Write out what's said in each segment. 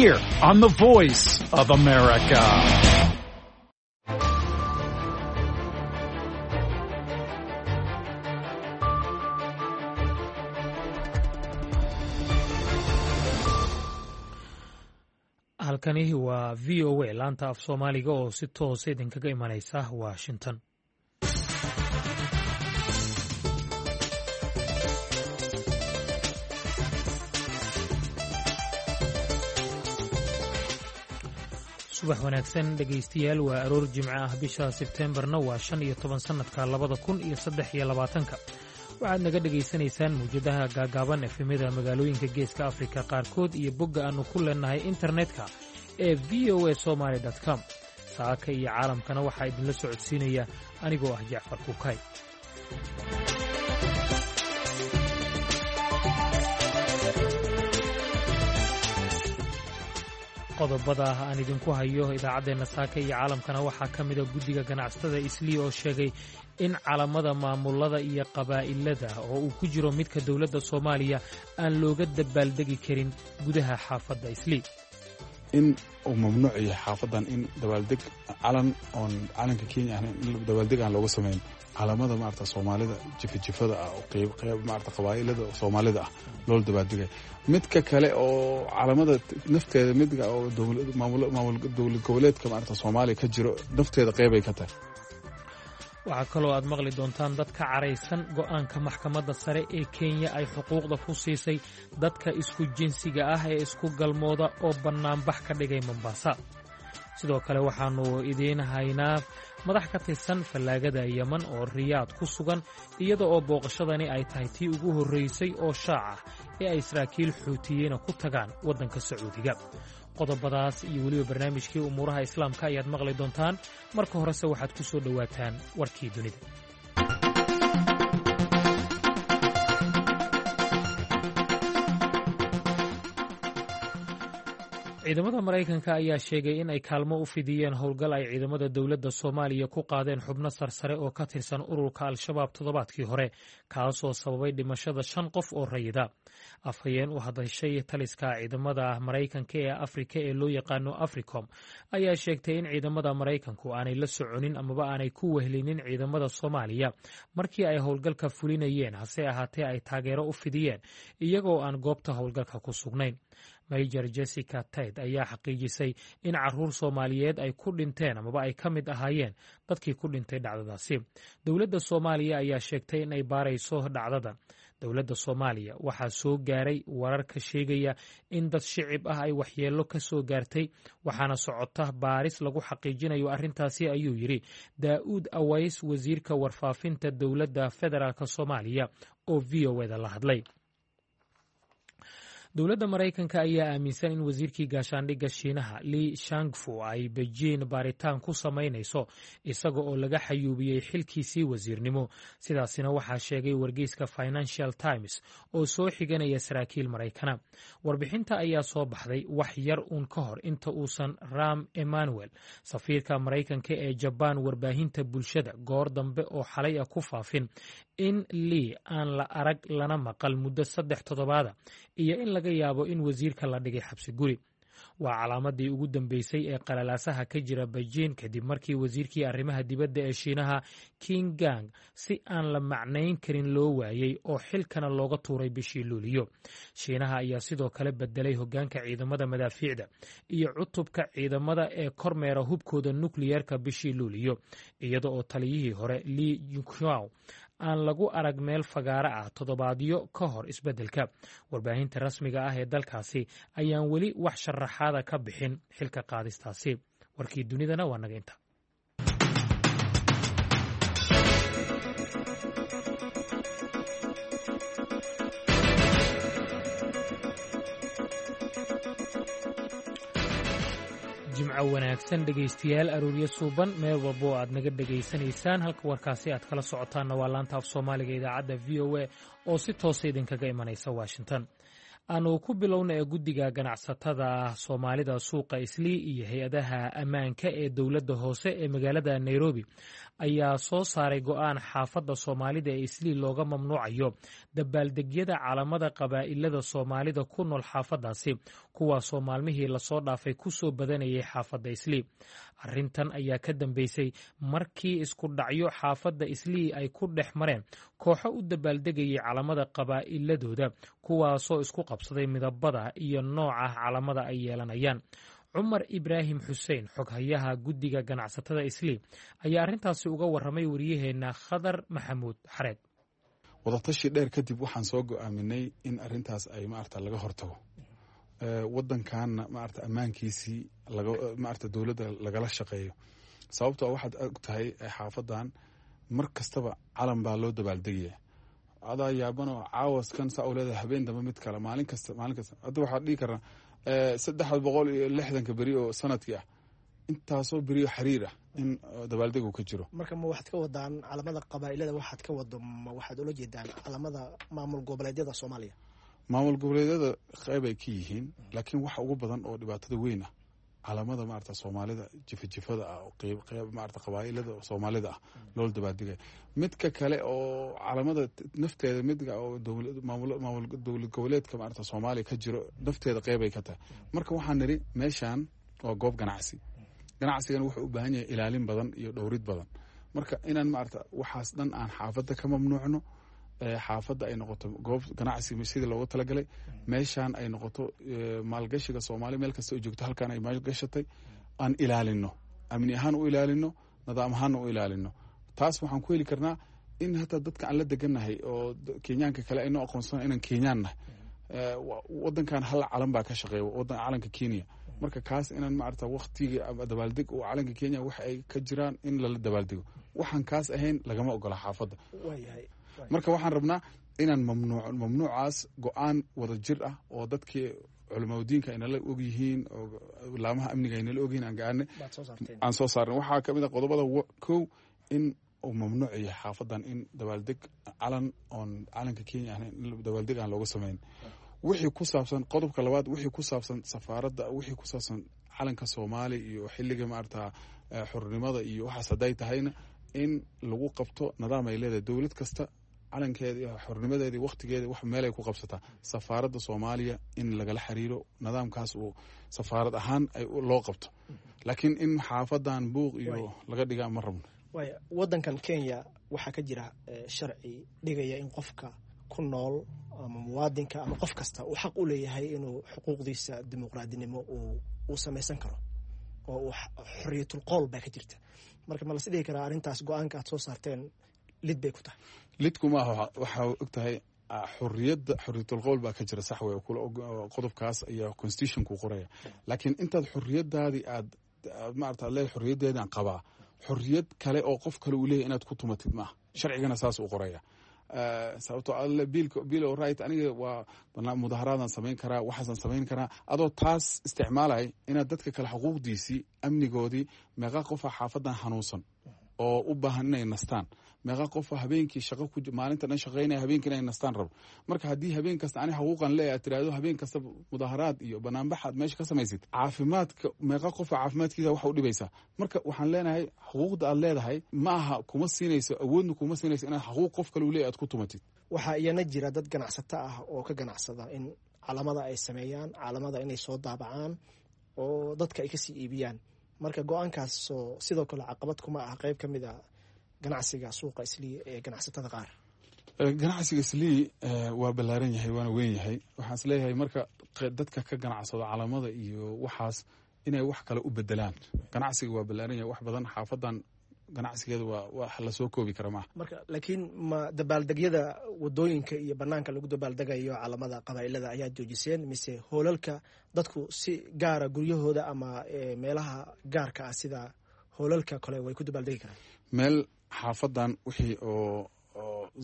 here on the Voice of America. Halkani waa VOA, laanta af Soomaaliga oo si toosa idinkaga imanaysa Washington. Subax wanaagsan, dhegaystayaal. Waa aroor Jimco ah, bisha Sebteembarna waa 15, sannadka 2023-ka. Waxaad naga dhegaysanaysaan mawjadaha gaagaaban, efemyada magaalooyinka Geeska Afrika qaarkood iyo bogga aannu ku leenahay internetka ee VOA Somaly com. Saaka iyo caalamkana waxaa idinla socodsiinaya anigoo ah Jacfar Kukay. Qodobada aan idinku hayo idaacaddeenna saaka iyo caalamkana waxaa ka mida guddiga ganacsatada Islii oo sheegay in calamada maamulada iyo qabaa'ilada, oo uu ku jiro midka dowladda Soomaaliya, aan looga dabaaldegi karin gudaha xaafadda Islii. In uu mamnuuc yahay xaafadan in dabaaldeg calan oon calanka Kenya ahayn in dabaaldeg aan looga samayn, calamada maarata Soomaalida jifajifada ah oo qeyb qeyb maarata qabaa'ilada Soomaalida ah loola dabaaldegay. Midka kale oo calamada nafteeda, midka oo dowlad maamul maamul dowlad goboleedka maarata Soomaaliya ka jiro nafteeda qeybay ka tahay. Waxaa kaloo aad maqli doontaan dad ka caraysan go'aanka maxkamadda sare ee Kenya ay xuquuqda ku siisay dadka isku jinsiga ah ee isku galmooda oo bannaanbax ka dhigay Mombasa. Sidoo kale waxaannu idiin haynaa madax ka tirsan fallaagada Yeman oo Riyaad ku sugan, iyada oo booqashadani ay tahay tii ugu horraysay oo shaac ah ee ay saraakiil Xuutiyiina ku tagaan waddanka Sacuudiga. Qodobadaas iyo weliba barnaamijkii umuuraha Islaamka ayaad maqli doontaan. Marka horese waxaad ku soo dhowaataan warkii dunida. Ciidamada Maraykanka ayaa sheegay in ay kaalmo u fidiyeen howlgal ay ciidamada dowladda Soomaaliya ku qaadeen xubno sarsare oo ka tirsan ururka Al-Shabaab toddobaadkii hore, kaasoo sababay dhimashada shan qof oo rayida. Afhayeen u hadashay taliska ciidamada Maraykanka ee Afrika ee loo yaqaano Africom ayaa sheegtay in ciidamada Maraykanku aanay la soconin amaba aanay ku wehelinin ciidamada Soomaaliya markii ay howlgalka fulinayeen, hase ahaatee ay taageero u fidiyeen iyagoo aan goobta howlgalka ku sugnayn. Major Jessica Tait ayaa xaqiijisay in caruur Soomaaliyeed ay ku dhinteen amaba ay ka mid ahaayeen dadkii ku dhintay dhacdadaasi. Dowladda Soomaaliya ayaa sheegtay in ay baarayso dhacdada. Dowladda Soomaaliya waxaa soo gaaray warar ka sheegaya in dad shicib ah ay waxyeello ka soo gaartay, waxaana socota baaris lagu xaqiijinayo arrintaasi, ayuu yidhi Daa'uud Aways, wasiirka warfaafinta dowladda federaalk Soomaaliya oo VOA da la hadlay. Dowladda Maraykanka ayaa aaminsan in wasiirkii gaashaandhigga Shiinaha Li Shangfu ay Beijing baaritaan ku samaynayso, isaga oo laga xayuubiyey xilkiisii wasiirnimo. Sidaasina waxaa sheegay wargeyska Financial Times oo soo xiganaya saraakiil Maraykana. Warbixinta ayaa soo baxday wax yar uun ka hor inta uusan Ram Emmanuel, safiirka Maraykanka ee Jabaan, warbaahinta bulshada goor dambe oo xalay ah ku faafin in Li aan la arag lana maqal muddo 3 toddobaada iyo in laga yaabo in wasiirka la dhigay xabsi guri. Waa calaamadii ugu dambeysay ee qalalaasaha ka jira Beijing kadib markii wasiirkii arrimaha dibadda ee Shiinaha King Gang si aan la macnayn karin loo waayey oo xilkana looga tuuray bishii Luuliyo. Shiinaha ayaa sidoo kale bedelay hoggaanka ciidamada madaafiicda iyo cutubka ciidamada ee kormeera hubkooda nukliyeerka bishii Luuliyo, iyada oo taliyihii hore Li Yuqiao aan lagu arag meel fagaaro ah toddobaadyo ka hor isbeddelka. Warbaahinta rasmiga ah ee dalkaasi ayaan weli wax sharaxaada ka bixin xilka qaadistaasi. Warkii dunidana waa naga inta. Jimco wanaagsan, dhegaystayaal, arooryo suuban meel walba oo aad naga dhegaysanaysaan. Halka warkaasi aad kala socotaanna waa laanta af Soomaaliga idaacadda VOA oo si toosa idinkaga imanaysa Washington. Aanu ku bilowna ee guddiga ganacsatada Soomaalida suuqa Islii iyo hay-adaha ammaanka ee dowladda hoose ee magaalada Nairobi ayaa soo saaray go'aan xaafadda Soomaalida ee Islii looga mamnuucayo dabaaldegyada calamada qabaa'ilada Soomaalida ku nool xaafaddaasi, kuwaasoo maalmihii lasoo dhaafay ku soo badanayay xaafadda Islii. Arrintan ayaa ka dambeysay markii isku dhacyo xaafadda Islii ay ku dhex mareen kooxo u dabaaldegayay calamada qabaa'iladooda, kuwaasoo isku qabsaday midabada iyo nooca calamada ay yeelanayaan. Cumar Ibraahim Xuseen, xoghayaha guddiga ganacsatada Islii, ayaa arrintaasi uga warramay wariyaheenna Khadar Maxamuud Xareed. Wadatashi dheer kadib waxaan soo go-aaminay in arintaas ay maarata laga hortago, wadankanna maarata ammaankiisii maarata dowladda lagala shaqeeyo. Sababtoo waxaad og tahay xaafadan mar kastaba calan baa loo dabaaldegaya. Adaa yaabanoo caawaskan saa u leedahay, habeen dambe mid kale, maalin kasta, maalin kasta. Hadda waxaad dhihi karnaa 360ka beri oo sanadkii ah, intaasoo beriyo xiriir ah in dabaaldegu ka jiro. Marka ma waxaad ka wadaan calamada qabaa'ilada? Waxaad ka wado, ma waxaad ula jeedaan calamada maamul goboleedyada Soomaaliya? Maamul goboleedyada qeyb ay ka yihiin, laakiin waxa ugu badan oo dhibaatada weyn ah calamada maarata Soomaalida jifajifada ah oo qeyb qeyb maarata qabaa'ilada Soomaalida ah loola dabaaldegaya. Midka kale oo calamada nafteeda, midka oo maamul dowlad goboleedka maarata Soomaaliya ka jiro nafteeda qeyb ay ka tahay. Marka waxaan nidhi meeshan waa goob ganacsi, ganacsigana wuxuu u baahan yahay ilaalin badan iyo dhowrid badan. Marka inaan maarata waxaas dhan aan xaafadda ka mamnuucno, xaafadda ay noqoto goob ganacsi sidii loogu talagalay, meeshaan ay noqoto maalgashiga Soomaaliya meel kasta oo joogto halkaan ay maalgashatay, aan ilaalino, amni ahaan u ilaalino, nidaam ahaanna u ilaalino. Taas waxaan ku heli karnaa in hataa dadka aan la degannahay oo Kenyaanka kale aynoo aqoonsana inaan Kenyaan nahay. Wadankan hal calan baa ka shaqeeya, wadan calanka Kenya. Marka kaas inaan maarata waktiga dabaaldeg oo calanka Kenya wax ay ka jiraan in lala dabaaldego, waxaan kaas ahayn lagama ogola xaafadda. Marka waxaan rabnaa inaan mamnuuc mamnuucaas go-aan wada jir ah oo dadkii culamaudiinka aynala og yihiin oo laamaha amniga aynala ogyihiin aan gaarnay, aan soo saarnay. Waxaa kamid ah qodobada kow in uu mamnuuc yahay xaafadan in dabaaldeg calan oon calanka Kenya ahayn in dabaaldeg aan looga samayn. Wixii ku saabsan qodobka labaad, wixii ku saabsan safaaradda, wixii ku saabsan calanka Soomaaliya iyo xilliga maarata xornimada iyo waxaas hadday tahayna, in lagu qabto nidaam ay leedahay dowlad kasta calankeeda iyo xornimadeeda iyo wakhtigeeda wax meel ay ku qabsataa, safaaradda Soomaaliya in lagala xiriiro, nidaamkaas uu safaarad ahaan ay loo qabto. Laakiin in xaafadan buuq iyo laga dhigaa ma rabno. Waaya, wadankan Kenya waxaa ka jira sharci dhigaya in qofka ku nool ama muwaadinka ama qof kasta uu xaq u leeyahay inuu xuquuqdiisa dimuqraadinimo uu samaysan karo oo uu xoriyatul qowl baa ka jirta. Marka ma las dhihi karaa arrintaas go-aanka aad soo saarteen lid bay ku tahay? Lidku maaha. Waxaa og tahay xoriyadda, xoriyatul qowl baa ka jira, sax wey, qodobkaas ayaa constitutionku qoraya. Laakiin intaad xoriyadaadii aad maarata aad leedahay xoriyaddeedaan qabaa, xoriyad kale oo qof kale uu leeyahy inaad ku tumatid maaha. Sharcigana saas uu qoraya. Sababtoo alle bill of right, aniga waa mudaharaadaan samayn karaa, waxaasaan samayn karaa, adoo taas isticmaalay inaad dadka kale xuquuqdiisii, amnigoodii. Meeqa qofa xaafadan xanuunsan oo u baahan inay nastaan? Meeqa qofa habeenkii shaqo ku maalinta dhan shaqaynaya, habeenkii inay nastaan rabo? Marka haddii habeen kasta ani xuquuqan leeyahay aad tiraahdo, habeen kasta mudaharaad iyo banaanbax aad meesha ka samaysid, caafimaadka meeqa qofa caafimaadkiisa waxa u dhibaysaa? Marka waxaan leenahay xuquuqda aad leedahay ma aha, kuma siinayso awoodna, kuma siinayso inaad xuquuq qof kale uu leeyahay aad ku tumatid. Waxaa iyana jira dad ganacsato ah oo ka ganacsada in calamada ay sameeyaan, calamada inay soo daabacaan oo dadka ay kasii iibiyaan. Marka go-aankaasoo sidoo kale caqabad kuma ah qeyb ka mid a ganacsiga suuqa Islii ee ganacsatada qaar? Ganacsiga Islii waa ballaaran yahay waana weyn yahay. Waxaan is leeyahay marka dadka ka ganacsado calamada iyo waxaas inay wax kale u bedelaan. Ganacsiga waa ballaaran yahay, wax badan xaafadan ganacsigeeda waa wax lasoo koobi kara maaha. Marka laakiin ma dabaaldegyada wadooyinka iyo banaanka lagu dabaaldegayo calamada qabaa'ilada ayaa joojiseen, mise hoolalka dadku si gaara guryahooda ama meelaha gaarka ah sida hoolalka kale way ku dabaaldegi karaan? Meel xaafadan wixii oo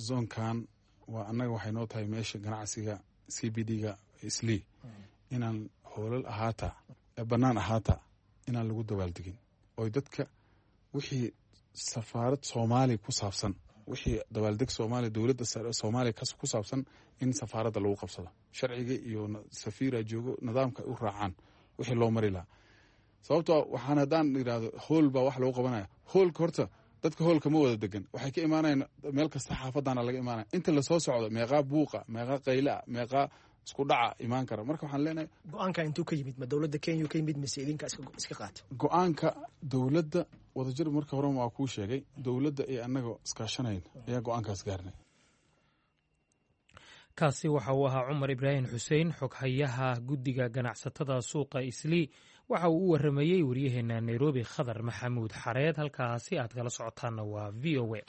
zoonkan waa annaga waxay noo tahay meesha ganacsiga CBD-ga Islii, inaan hoolal ahaata, bannaan ahaata, inaan lagu dabaaldegin oy dadka wixii safaarad Soomaaliya ku saabsan, wixii dabaaldeg Soomaaliya, dowladda Soomaaliya ku saabsan, in safaaradda lagu qabsado, sharciga iyo safiira joogo, nidaamka ay u raacaan wixii loo mari lahaa. Sababtoo waxaan haddaan yidhaahdo hool baa wax lagu qabanaya, hoolka horta dadka hoolka ma wada degan, waxay ka imaanayaan meel kasta, xaafadana laga imaanaya. Inta lasoo socdo meeqaa buuqa, meeqaa qayla, meeqaa Isku dhaca imaan kara. Marka waxaan leenahay, Go-aanka intuu ka yimid? Ma dowladda Kenya ka yimid mise idinka iska qaata? Go-aanka dowladda wadajir, marka horena waa kuu sheegay, dowladda iyo annaga iskaashanayn ayaa go-aankaas gaarnay. Kaasi waxa uu ahaa Cumar Ibraahim Xuseen, xoghayaha guddiga ganacsatada suuqa Islii. Waxa uu u waramayey waryaheena Nairobi, Khadar Maxamuud Xareed. Halkaasi aad kala socotaanna waa VOA.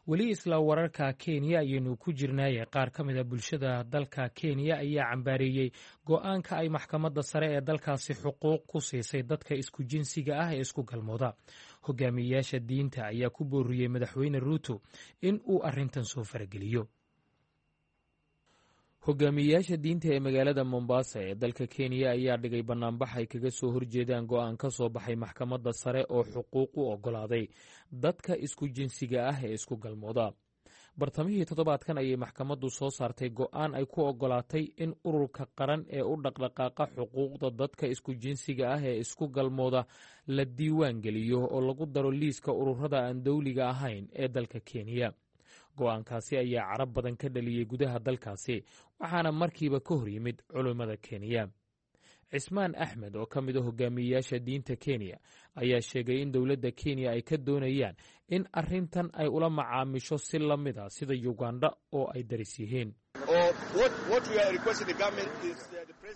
Weli isla wararka Kenya ayaynu ku jirnaaye, qaar ka mid a bulshada dalka Kenya ayaa cambaareeyey go-aanka ay maxkamadda sare ee dalkaasi xuquuq ku siisay dadka isku jinsiga ah ee isku galmooda. Hogaamiyeyaasha diinta ayaa ku booriyey Madaxweyne Ruuto in uu arrintan soo farageliyo. Hogaamiyeyaasha diinta ee magaalada Mombasa ee dalka Kenya ayaa dhigay banaanbax ay kaga soo horjeedaan go-aan ka soo baxay maxkamadda sare oo xuquuq u ogolaaday dadka isku jinsiga ah ee isku galmooda. Bartamihii toddobaadkan ayay maxkamaddu soo saartay go-aan ay ku ogolaatay in ururka qaran ee u dhaqdhaqaaqa xuquuqda dadka isku jinsiga ah ee isku galmooda la diiwaan geliyo oo lagu daro liiska ururada aan dowliga ahayn ee dalka Kenya. Go-aankaasi ayaa carab badan ka dhaliyey gudaha dalkaasi, waxaana markiiba ka hor yimid culimmada Kenya. Cismaan Axmed oo ka mid a hogaamiyeyaasha diinta Kenya ayaa sheegay in dowladda Kenya ay ka doonayaan in arrintan ay ula macaamisho si la mid a sida Yugandha oo ay daris yihiin.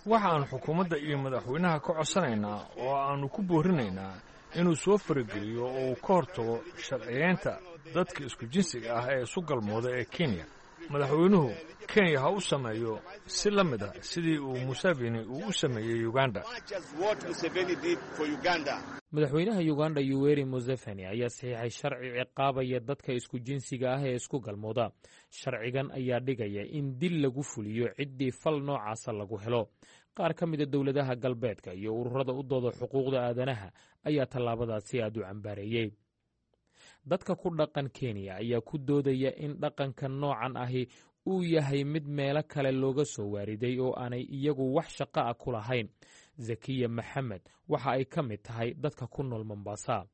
Waxaan xukuumadda iyo madaxweynaha ka codsanaynaa oo aannu ku boorinaynaa inuu soo farageliyo oo uu ka hortago sharciyeynta dadka isku jinsiga ah ee isu galmooda ee Kenya. Madaxweynuhu Kenya ha u sameeyo si la mid ah sidii uu Museveni uu u sameeyey Uganda. Madaxweynaha Uganda Yuweri Museveni ayaa saxiixay sharci ciqaabaya dadka isku jinsiga ah ee isku galmooda. Sharcigan ayaa dhigaya in dil lagu fuliyo ciddii fal noocaasa lagu helo. Qaar ka mida dowladaha galbeedka iyo ururada u dooda xuquuqda aadanaha ayaa tallaabadaasi aad u cambaareeyey. Dadka ku dhaqan Kenya ayaa ku doodaya in dhaqanka noocan ahi uu yahay mid meelo kale looga soo waariday oo aanay iyagu wax shaqo ah ku lahayn. Zakiya Maxamed waxa ay ka mid tahay dadka ku nool Mombasa.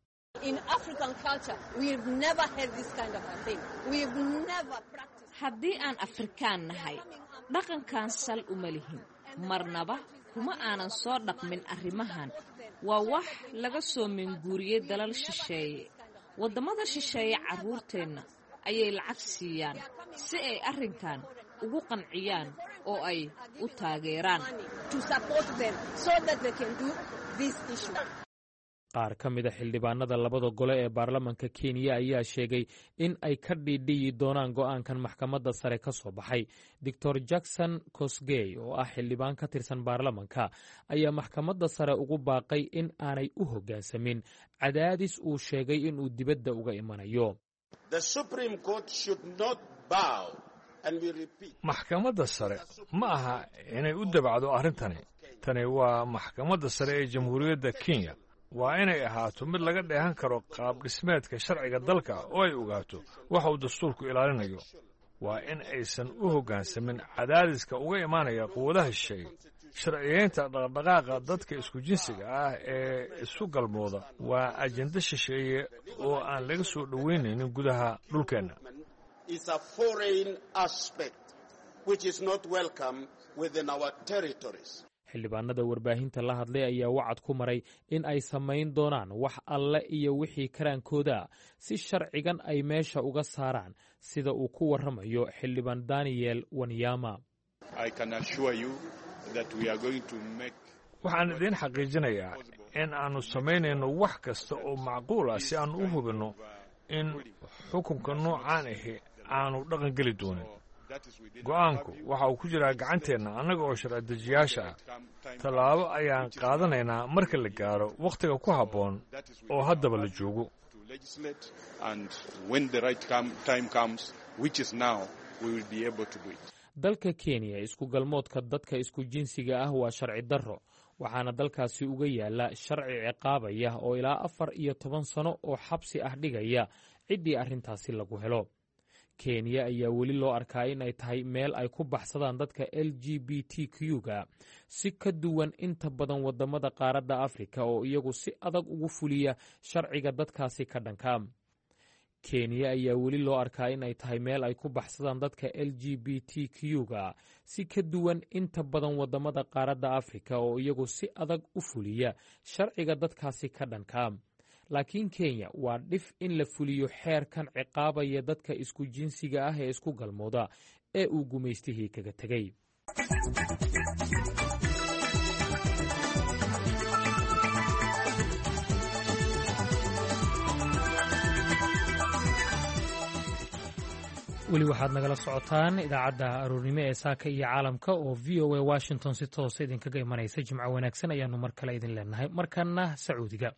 Haddii aan Afrikaan nahay, dhaqankan sal uma lihin, marnaba kuma aanan soo dhaqmin arrimahan. Waa wax laga soo minguuriyey dalal shisheeye. Waddamada shisheeye carruurteenna ayay lacag siiyaan si ay arrinkan ugu qanciyaan oo ay u taageeraan. Qaar ka mida xildhibaanada labada gole ee baarlamanka Kenya ayaa sheegay in ay ka dhiidhiyi doonaan go'aankan maxkamadda sare ka soo baxay. Doctor Jackson Kosgey oo ah xildhibaan ka tirsan baarlamanka ayaa maxkamadda sare ugu baaqay in aanay u hoggaansamin cadaadis uu sheegay inuu dibadda uga imanayo. Maxkamadda sare ma aha inay u dabacdo arrintani. Tani waa maxkamadda sare ee Jamhuuriyadda Kenya. Waa inay ahaato mid laga dheehan karo qaab dhismeedka sharciga dalka oo ay ogaato waxa uu dastuurku ilaalinayo. Waa in aysan u hoggaansamin cadaadiska uga imaanaya quwadaha shisheeye. Sharciyeynta dhaqdhaqaaqa dadka isku jinsiga ah ee isu galmooda waa ajenda shisheeye oo aan laga soo dhoweynaynin gudaha dhulkeenna. Xildhibaanada warbaahinta la hadlay ayaa wacad ku maray in ay samayn doonaan wax alle iyo wixii karaankooda si sharcigan ay meesha uga saaraan, sida uu ku warramayo xildhibaan Daniel Wanyama. Waxaan idiin xaqiijinayaa in aannu samaynayno wax kasta oo macquul ah si aannu u hubinno in xukunka noocaan ahi aanu dhaqan geli doonin. Go'aanku waxa uu ku jiraa gacanteenna annaga oo sharci-dejiyaasha ah. Tallaabo ayaan qaadanaynaa marka la gaaro wakhtiga ku habboon oo haddaba la joogo. Dalka Kenya, isku galmoodka dadka isku jinsiga ah waa sharci darro, waxaana dalkaasi uga yaala sharci ciqaabaya oo ilaa 14 sano oo xabsi ah dhigaya ciddii arrintaasi lagu helo. Kenya ayaa weli loo arkaa in ay tahay meel ay ku baxsadaan dadka LGBTQ-ga, si ka duwan inta badan wadamada qaaradda Afrika oo iyagu si adag ugu fuliya sharciga dadkaasi ka dhanka. Kenya ayaa weli loo arkaa in ay tahay meel ay ku baxsadaan dadka LGBTQ-ga, si ka duwan inta badan waddamada qaaradda Afrika oo iyagu si adag u fuliya sharciga dadkaasi ka dhanka. Laakiin Kenya waa dhif in la fuliyo xeerkan ciqaabaya dadka isku jinsiga ah ee isku galmooda ee uu gumaystihii kaga tegey. Weli waxaad nagala socotaan idaacadda aroornimo ee Saaka iyo Caalamka oo VOA Washington si toosa idinkaga imanaysa. Jimco wanaagsan ayaanu mar kale idin leenahay. Markana Sacuudiga,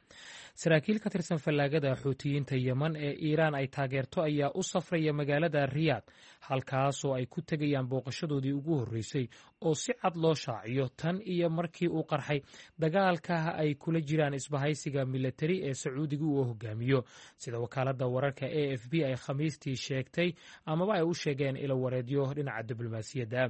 saraakiil ka tirsan fallaagada Xuutiyiinta Yeman ee Iiraan ay taageerto ayaa u safraya magaalada Riyaad, halkaasoo ay ku tegayaan booqashadoodii ugu horreysay oo si cad loo shaaciyo tan iyo markii uu qarxay dagaalka ay kula jiraan isbahaysiga milatari ee Sacuudiga uu hogaamiyo, sida wakaaladda wararka AFP ay Khamiistii sheegtay amaba ay u sheegeen ilo wareedyo dhinaca diblomaasiyadda.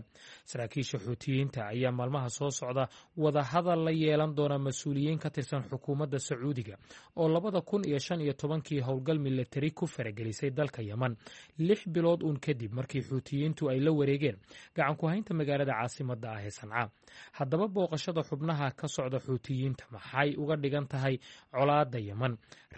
Saraakiisha Xuutiyiinta ayaa maalmaha soo socda wadahadal la yeelan doona mas-uuliyiin ka tirsan xukuumadda Sacuudiga oo 2015-kii howlgal milatari ku faragelisay dalka Yeman, 6 bilood uun kadib markii Xuutiyiintu ay la wareegeen gacanku haynta magaalada caasimadda ah ee Sanca. Haddaba, booqashada xubnaha ka socda Xuutiyiinta maxay uga dhigan tahay colaadda Yeman?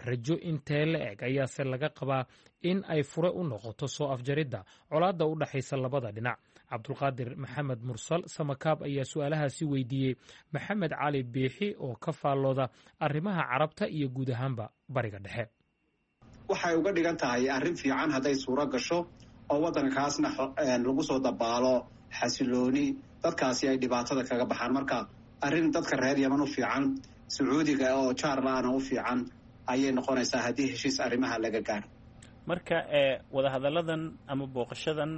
Rajo intee la eg ayaase laga qabaa in ay fure u noqoto soo afjaridda colaadda u dhexaysa labada dhinac? Cabdulqaadir Maxamed Mursal Samakaab ayaa su-aalahaasi weydiiyey Maxamed Cali Biixi oo ka faallooda arrimaha Carabta iyo guud ahaanba Bariga Dhexe. Waxay uga dhigan tahay arrin fiican hadday suuro gasho oo waddankaasna lagu soo dabaalo xasilooni, dadkaasi ay dhibaatada kaga baxaan. Marka arrin dadka reer Yeman u fiican, Sacuudiga oo jaar la-ana u fiican ayay noqonaysaa haddii heshiis arrimaha laga gaaro. Marka wadahadalladan ama booqashadan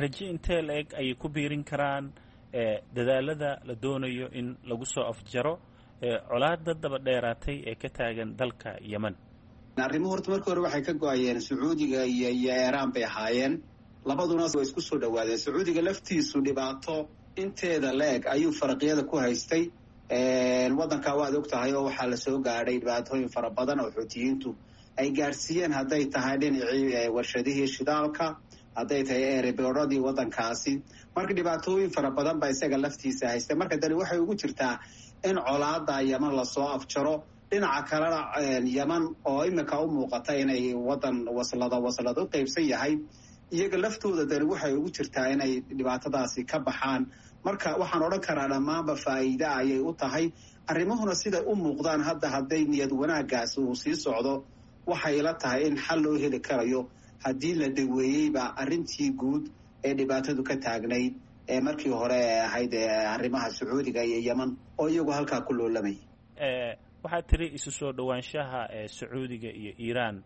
rajo intee la eg ayay ku biirin karaan dadaalada la doonayo in lagu soo afjaro colaada daba dheeraatay ee ka taagan dalka Yemen? Arrimuhu horta markii hore waxay ka go-ayeen Sacuudiga iyo Eeraan bay ahaayeen. Labaduna way isku soo dhawaadeen. Sacuudiga laftiisu dhibaato inteeda la eg ayuu faraqyada ku haystay waddanka, waad og tahay, oo waxaa lasoo gaadhay dhibaatooyin fara badan oo Xuutiyiintu ay gaadhsiiyeen, hadday tahay dhinacii warshadihii shidaalka, hadday tahay erebooradii waddankaasi. Marka dhibaatooyin fara badan baa isaga laftiisa haystay. Marka dani waxay ugu jirtaa in colaada Yeman lasoo afjaro. Dhinaca kalena, Yeman oo iminka u muuqata inay wadan waslada waslad u qeybsan yahay, iyaga laftooda dani waxay ugu jirtaa inay dhibaatadaasi ka baxaan. Marka waxaan odhan karaa dhammaanba faa'iide ayay u tahay. Arrimuhuna siday u muuqdaan hadda, hadday niyad wanaaggaasi uu sii socdo, waxay ila tahay in xal loo heli karayo, haddii la daweeyeyba arrintii guud ee dhibaatadu ka taagnayd ee markii hore ee ahayd arrimaha Sacuudiga iyo Yeman oo iyagu halkaa ku loolamay. Waxaad tiri isu soo dhowaanshaha ee Sacuudiga iyo Iiraan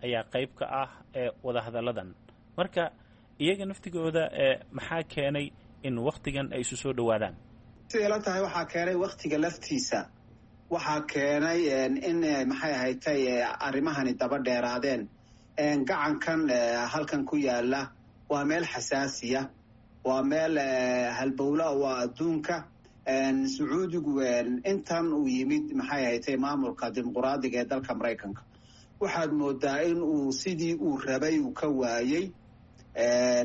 ayaa qayb ka ah ee wadahadalladan. Marka iyaga naftigooda maxaa keenay in wakhtigan ay isu soo dhowaadaan? Siday la tahay, waxaa keenay wakhtiga laftiisa. Waxaa keenay in, maxay ahaytay, arrimahani daba dheeraadeen. Gacankan halkan ku yaala waa meel xasaasiya, waa meel halbowla, waa adduunka. Sacuudigu intan uu yimid, maxay ahaytay, maamulka dimuquraadiga ee dalka Maraykanka, waxaad moodaa in uu sidii uu rabay uu ka waayey.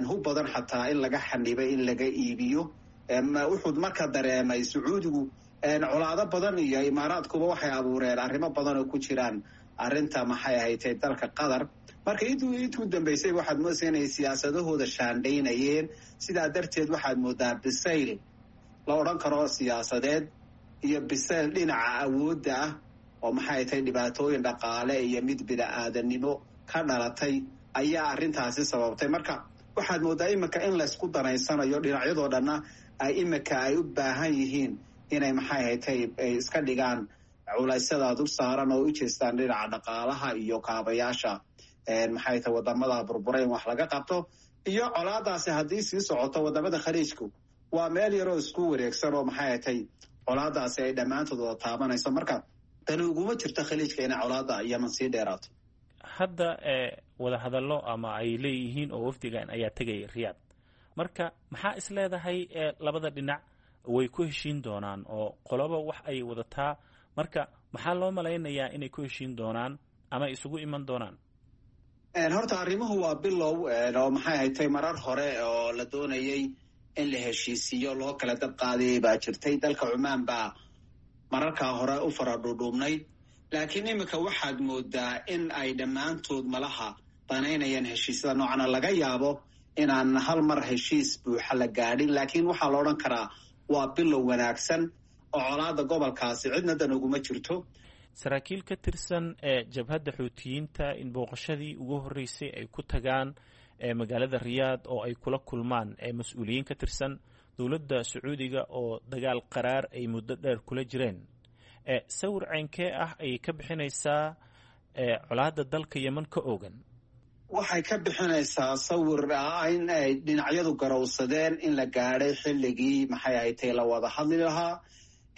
Hub badan xataa in laga xanibay in laga iibiyo. Wuxuu marka dareemay Sacuudigu colaado badan, iyo Imaaraadkuba waxay abuureen arrimo badan oo ku jiraan arrinta, maxay ahaytay, dalka Qatar. Marka intuu dambaysay waxaad moodaysa inay siyaasadahooda shaandhaynayeen. Sidaa darteed waxaad moodaa bisayl la odhan karo siyaasadeed iyo bisayl dhinaca awoodda ah oo, maxay tahay, dhibaatooyin dhaqaale iyo mid bini-aadanimo ka dhalatay ayaa arrintaasi sababtay. Marka waxaad moodaa iminka in laysku danaysanayo, dhinacyadoo dhanna ay iminka ay u baahan yihiin inay, maxay haytay, ay iska dhigaan culaysyada dul saaran oo u jeestaan dhinaca dhaqaalaha iyo kaabayaasha, maxay tahay, wadamada burbura in wax laga qabto. Iyo colaadaasi haddii sii socoto, wadamada Khaliijku waa meel yaroo isku wareegsan oo, maxay haytay, colaadaasi ay dhammaantood wada taabanayso. Marka tani uguma jirto Khaliijka inay colaada Yeman sii dheeraato. Hadda wadahadallo ama ay leeyihiin oo wafdigan ayaa tegaya Riyaad. Marka maxaa is leedahay labada dhinac way ku heshiin doonaan, oo qoloba wax ay wadataa? Marka maxaa loo malaynayaa inay ku heshiin doonaan ama isugu iman doonaan? Horta arrimuhu waa bilow oo maxay haytay marar hore oo la doonayay in la heshiisiiyo loo kala dab qaadayay baa jirtay. Dalka Cumaan baa mararkaa hore u fara dhuudhuubnayd, laakiin iminka waxaad moodaa in ay dhammaantood malaha danaynayaan heshiisyada noocana. Laga yaabo inaan hal mar heshiis buuxa la gaadhin, laakiin waxaa la odhan karaa waa bilow wanaagsan oo colaada gobolkaasi cidna dan uguma jirto. Saraakiil ka tirsan ee jabhadda Xuutiyiinta in booqashadii ugu horreysay ay ku tagaan magaalada Riyaad oo ay kula kulmaan mas-uuliyiin ka tirsan dowladda Sacuudiga oo dagaal qaraar ay muddo dheer kula jireen, sawir ceynkee ah ayay ka bixinaysaa colaadda dalka Yemen ka oogan? Waxay ka bixinaysaa sawir ah in ay dhinacyadu garowsadeen in la gaadhay xilligii maxay haytay la wada hadli lahaa,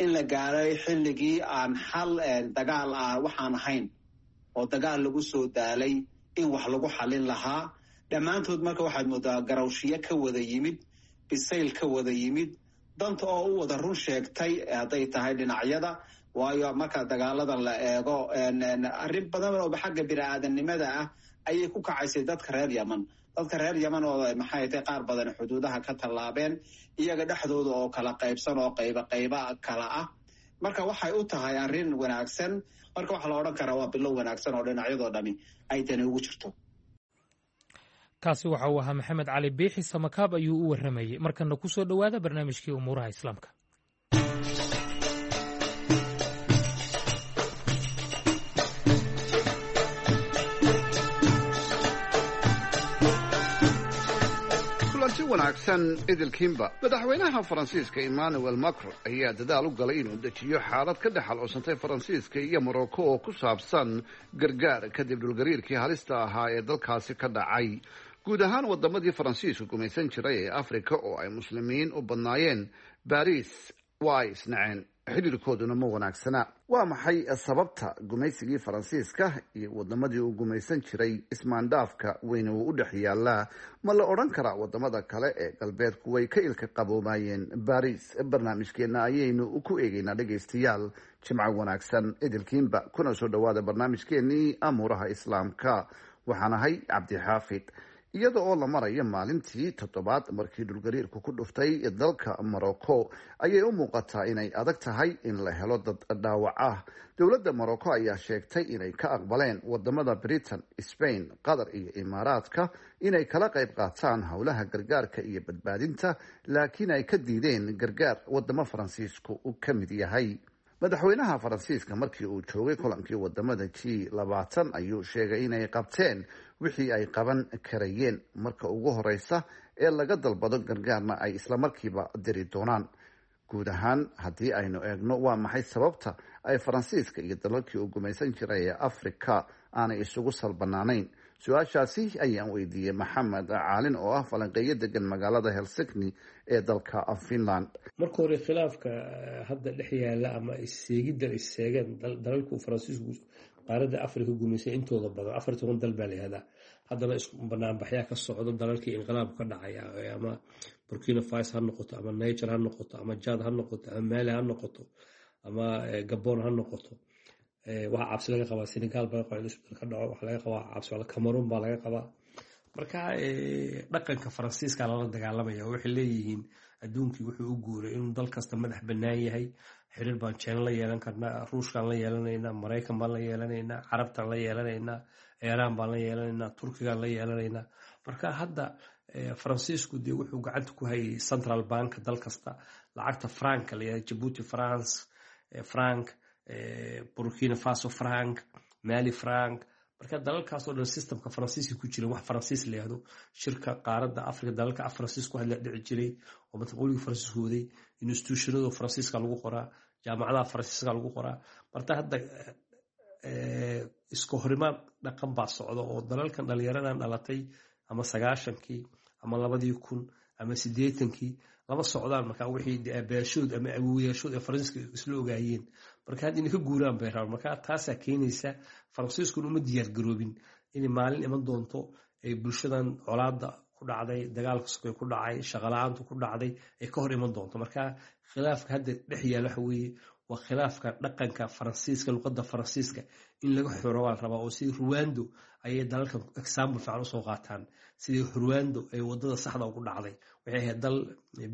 in la gaadhay xilligii aan xal dagaal ah waxaan ahayn oo dagaal lagu soo daalay in wax lagu xalin lahaa. Dhammaantood marka waxaad moodaa garawshiyo ka wada yimid, bisayl ka wada yimid, danta oo u wada run sheegtay hadday tahay dhinacyada. Waayo marka dagaaladan la eego, arrin badan oo xagga bini-aadamnimada ah ayay ku kacaysay dadka reer Yemen. Dadka reer Yemen oo maxay tahay qaar badan xuduudaha ka tallaabeen, iyaga dhexdooda oo kala qaybsan oo qayba qayba kala ah. Marka waxay u tahay arrin wanaagsan. Marka waxaa la odhan karaa waa bilow wanaagsan oo dhinacyadoo dhami ay dani ugu jirto. Kaasi waxa uu ahaa Maxamed Cali Biixi Samakaab ayuu u warramayey. Markana ku soo dhowaada barnaamijkii umuuraha Islaamka. Kulanti wanaagsan idilkiinba. Madaxweynaha Faransiiska Emmanuel Macron ayaa dadaal u galay inuu dejiyo xaalad ka dhex alcoosantay Faransiiska iyo Morocco oo ku saabsan gargaar kadib dhulgariirkii halista ahaa ee dalkaasi ka dhacay. Guud ahaan wadamadii Faransiisku gumaysan jiray ee Afrika oo ay Muslimiin u badnaayeen, Baris waa ay isnaceen, xidhiirkooduna ma wanaagsana. Waa maxay sababta gumaysigii Faransiiska iyo wadamadii uu gumaysan jiray ismaandhaafka weyn uu u dhex yaalaa? Ma la odhan karaa wadamada kale ee galbeedku way ka ilka qaboomayeen Baris? Barnaamijkeenna ayaynu ku eegeynaa. Dhegaystayaal, jimco wanaagsan idilkiinba, kuna soo dhawaada barnaamijkeenii amuuraha Islaamka. Waxaan ahay Cabdixaafid. Iyada oo la marayo maalintii toddobaad markii dhulgariirku ku dhuftay dalka Morocco, ayay u muuqataa inay adag tahay in la helo dad dhaawac ah. Dowladda Morocco ayaa sheegtay inay ka aqbaleen wadamada Britain, Spain, Qatar iyo Imaaraadka inay kala qayb qaataan howlaha gargaarka iyo badbaadinta, laakiin ay ka diideen gargaar wadamo Faransiisku uu ka mid yahay. Madaxweynaha Faransiiska markii uu joogay kulankii wadamada G20 ayuu sheegay inay qabteen wixii ay qaban karayeen, marka ugu horeysa ee laga dalbado gargaarna ay islamarkiiba diri doonaan. Guud ahaan haddii aynu eegno, waa maxay sababta ay Faransiiska iyo dalalkii uu gumaysan jiray ee Afrika aanay isugu salbanaanayn? Su-aashaasi ayaan weydiiyey Maxamed Caalin oo ah falanqeeyo degan magaalada Helsinki ee dalka Finland. Marka hore, khilaafka hadda dhex yaala ama isseegidda isseegeen dalalku Faransiisku qaaradda Afrika gumaysay intooda badan, 14 dal baa la yihahdaa. Haddana isku banaanbaxyaa ka socdo dalalkii inqilaabku ka dhacaya, ama Burkina Faso ha noqoto, ama Niger ha noqoto, ama Jad ha noqoto, ama Mali ha noqoto, ama Gabon ha noqoto. Waxaa cabsi laga qabaa Senegal baa laga qabaa in isbedel ka dhaco, waxaa laga qabaa cabsi Cameroon baa laga qabaa. Marka dhaqanka Faransiiska lala dagaalamaya oo waxay leeyihiin adduunkii wuxuu u guuray inuu dal kasta madax bannaan yahay. Xiriir baan China la yeelan karnaa, Ruushkaan la yeelanaynaa, Maraykan baan la yeelanaynaa, Carabtaan la yeelanaynaa, Iiraan baan la yeelanaynaa, Turkigaan la yeelanaynaa. Marka hadda Faransiisku dee wuxuu gacanta ku hayay central bank dal kasta, lacagta franka la yihahdo, Djibouti France franc, Burkina Faso franc, Mali franc. Marka dalalkaasoo dhan systemka Faransiiska ku jira, wax Faransiis la yihahdo, shirka qaaradda Afrika dalalka af Faransiis ku hadla dhici jiray oo mataqoligii Faransiisku waday, institutionada Faransiiska lagu qoraa, jaamacadaha Faransiiska lagu qoraa. Marka hadda iska horimaad dhaqan baa socda oo dalalkan dhalinyaradan dhalatay ama 90-kii ama 2000 ama 80-kii lama socdaan. Marka wixii aabayaashood ama awowayaashood ee Faransiiska isla ogaayeen marka hadda inay ka guuraan bay rabaan. Marka taasaa keenaysa Faransiiskuna uma diyaar garoobin inay maalin iman doonto ay bulshadan colaadda ku dhacday, dagaalka sokay ku dhacay, shaqala-aantu ku dhacday ay ka hor iman doonto. Marka khilaafka hadda dhex yaala waxa weeye Waa khilaafka dhaqanka Faransiiska, luqadda Faransiiska in laga xoro waa la rabaa, oo sidii Ruwando ayay dalalkan example fiican usoo qaataan, sidii Ruwando ay wadada saxda ugu dhacday. Waxay ahayd dal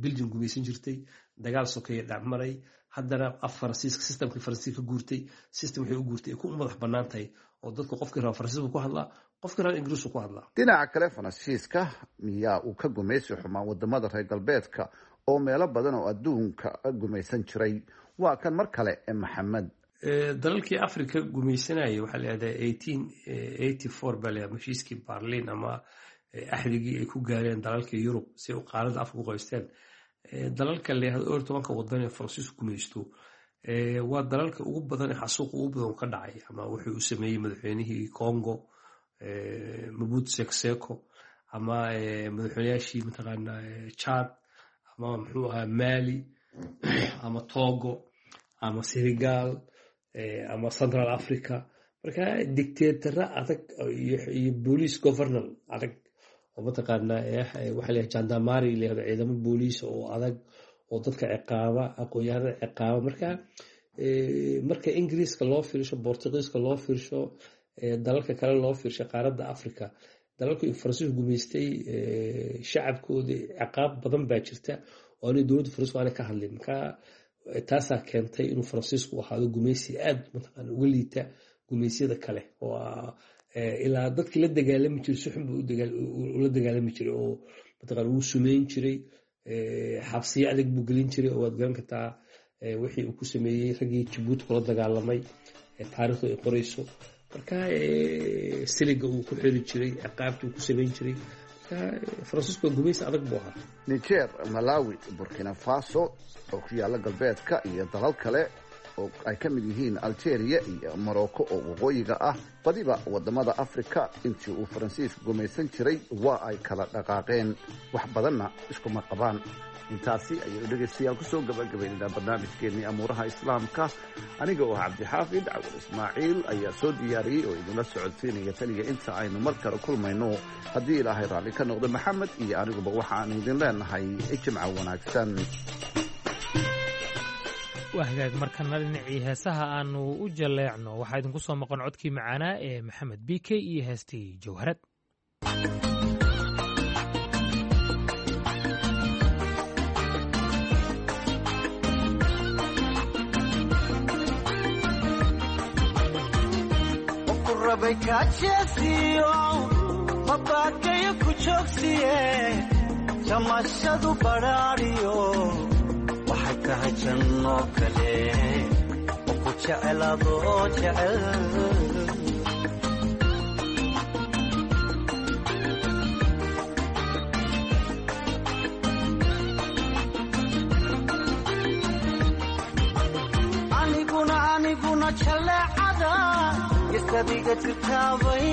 Belgium gumaysan jirtay, dagaal sokeeye dhacmaray, haddana af Faransiiska, systemkii Faransiiska ka guurtay, system waxay u guurtay ay ku madax bannaan tahay, oo dadku qofkii raba Faransiisku ku hadlaa, qofkii raba Ingiriisku ku hadlaa. Dhinaca kale, Faransiiska miyaa uu ka gumaysi xumaa wadamada reer galbeedka oo meelo badan oo adduunka gumaysan jiray? Waa kan mar kale Maxamed. Dalalkii Africa gumaysanayay waxaa la yihahdaa 1884 baa la yihahdaa heshiiskii Berlin ama axdigii ay ku gaareen dalalka Yurub si ay qaaradda Afrika u qoysteen. Dalalka la yihahdo 12-ka wadan ee Faransiisku gumaysto waa dalalka ugu badan ee xasuuqa ugu badan ka dhacay, ama wuxuu u sameeyey madaxweynihii Congo Mobutu Sese Seko, ama madaxweynayaashii mataqaanaa Chad, ama muxuu ahaa Mali, ama Togo, ama Senegal, ama Central Africa. Marka dictatora adag iyo police governor adag oo mataqaanaa waxa la gendarmerie la yihahdo, ciidamo booliis oo adag oo dadka ciqaaba, aqoon-yahanada ciqaaba. Marka marka Ingiriiska loo fiirsho, Bortugiiska loo fiirsho, dalalka kale loo fiirsho qaaradda Africa, dalalka Faransiisku gumaystay shacabkooda ciqaab badan baa jirta oo aanay dowladda Faransiisku aanay ka hadlin. Marka taasaa keentay inuu Faransiisku ahaado gumaysi aad mataqaana uga liita gumaysyada kale, oo ilaa dadkii la dagaalami jiray si xun buu ula dagaalami jiray, oo mataqaana wuu sumeyn jiray, xabsiyo adag buu gelin jiray, oo waad garan kartaa wixii uu ku sameeyey raggii Jabuuti kula dagaalamay, taariikhdu ay qorayso. Marka siliga uu ku xiri jiray, ciqaabtii uu ku samayn jiray. Marka Faransiisku waa gumaysi adag buu ahaa. Niger, Malawi, Burkina Faso oo ku yaalla galbeedka iyo dalal kale oo ay ka mid yihiin Algeria iyo Morocco oo waqooyiga ah, badiba wadamada Africa intii uu Faransiisku gumaysan jiray waa ay kala dhaqaaqeen, wax badanna iskuma qabaan. Intaasi ayaynu dhegaystayaal kusoo gabagabaynaynaa barnaamijkeennii amuuraha Islaamka. Aniga oo Cabdixaafid Cawal Ismaaciil ayaa soo diyaariyey oo idinla socodsiinaya. Taniga inta aynu mar kale kulmayno, haddii Ilaahay raalli ka noqdo, Maxamed iyo aniguba waxaanu idin leenahay jimco wanaagsan. Waa hagaag, markana dhinacii heesaha aanu u jaleecno. Waxaa idinku soo maqan codkii macaanaa ee Maxamed B K iyo heestii Jawharad. Mabaakayo ku joogsiye, jamashadu badhaadhiyo waxay tahay janno kale oo ku jecelaadoo jecel. Aniguna aniguna jaleecada isadiga jirtaabay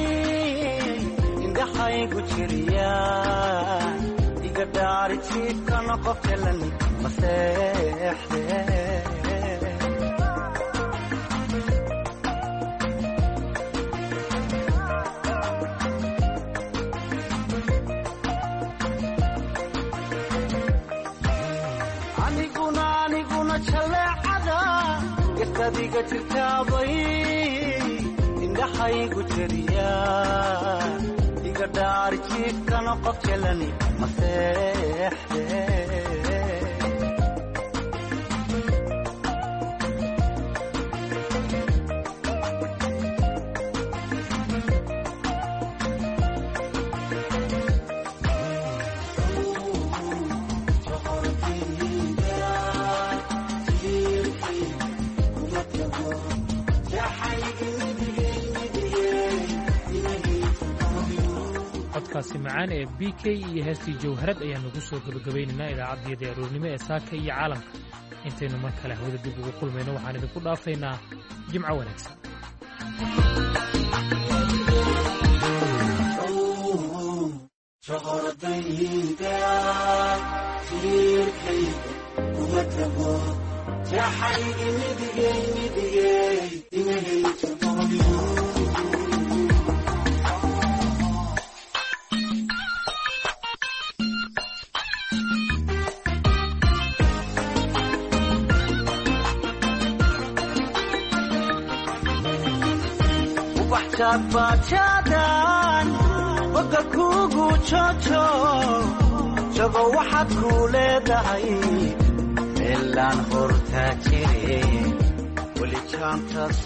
indhaxaygu jiriya, iga dhaari jiifkana qof jalan maseexde. Aniguna aniguna jaleecada isadiga jirtaabay indhaxaygu jiriya, iga dhaari jiifkana qof jalani maseexde. Codkaasi macaan ee B K iyo heestii Jawharad ayaannu ku soo gebagabaynaynaa idaacaddiyada aroornimo ee saaka iyo caalamka. Intaynu mar kale hawada dib ugu kulmayno, waxaan idinku dhaafaynaa jimco wanaagsan. Wax jaadbaajaadaan boga kuugu joojo, jago waxaad kuu leedahay meelaan hortaa jire weli jaantaas.